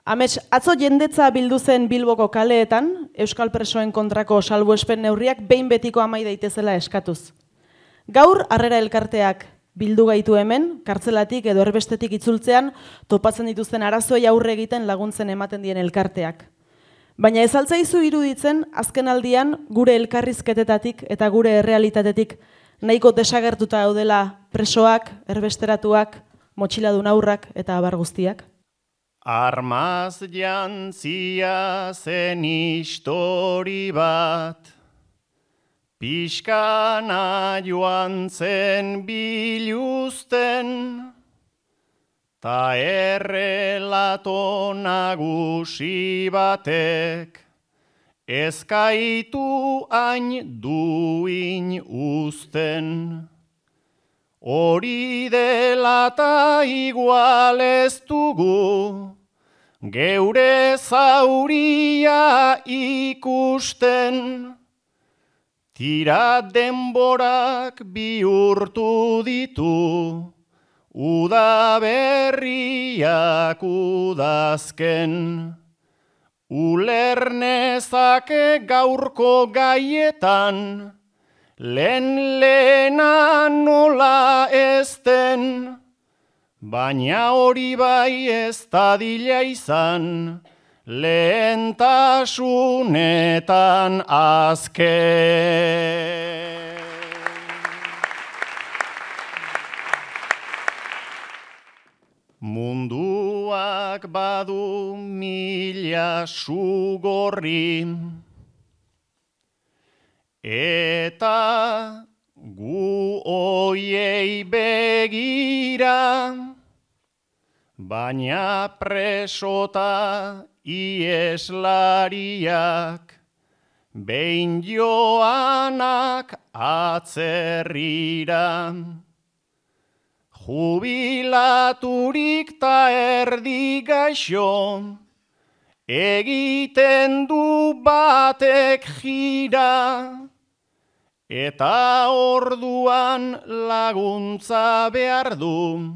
Amets, atzo jendetza bildu zen Bilboko kaleetan, Euskal presoen kontrako salbuespen neurriak behin betiko amai daitezela eskatuz. Gaur, Harrera elkarteak bildu gaitu hemen, kartzelatik edo erbestetik itzultzean, topatzen dituzten arazoei aurre egiten laguntzen ematen dien elkarteak. Baina ez altzaizu iruditzen, azken aldian, gure elkarrizketetatik eta gure errealitatetik nahiko desagertuta daudela presoak, erbesteratuak, motxiladun haurrak eta abar guztiak? Armaz jantzia zen histori bat, pixkana joan zen biluzten, ta errelato nagusi batek, ezkaitu hain duin uzten. Hori dela ta igual ez dugu, geure zauria ikusten. Tira denborak bihurtu ditu, udaberriak udazken. Ulernezake gaurko gaietan, lehena nola ezten, baina hori bai ez dadila izan, lehentasunetan azken. Munduak badu mila sugorri, eta gu oiei begira, baina presota ieslariak, behin joanak atzerrira. Jubilaturik ta erdi gaixo, egiten du batek jira, eta orduan laguntza behar du,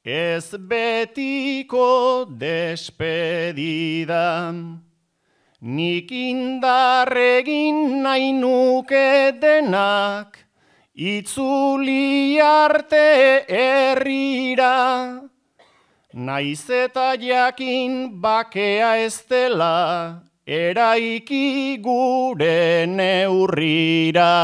ez betiko despedida. Nik indarregin nahi nuke denak, itzuli arte herrira, naiz eta jakin bakea ez dela, eraiki gure neurrira.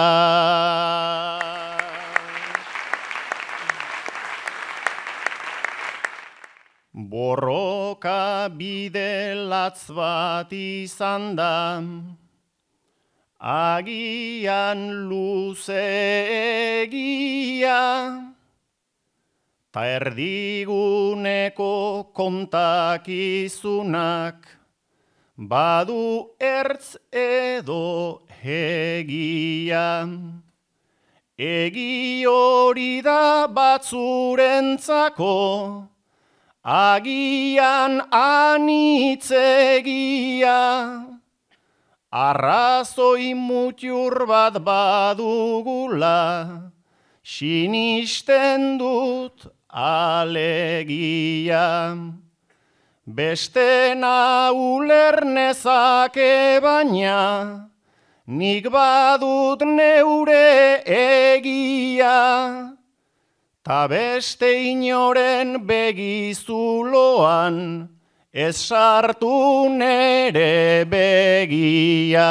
Borroka bide latz bat izan da, agian luzeegia, ta erdiguneko kontakizunak, badu ertz edo egia. Egi hori da batzurentzako, agian anitzegia. Arrazoi mutiur bat badugula, sinisten dut alegia. Bestena ulernezake baina, nik badut neure egia. Ta beste inoren begizuloan, ez sartu nere begia.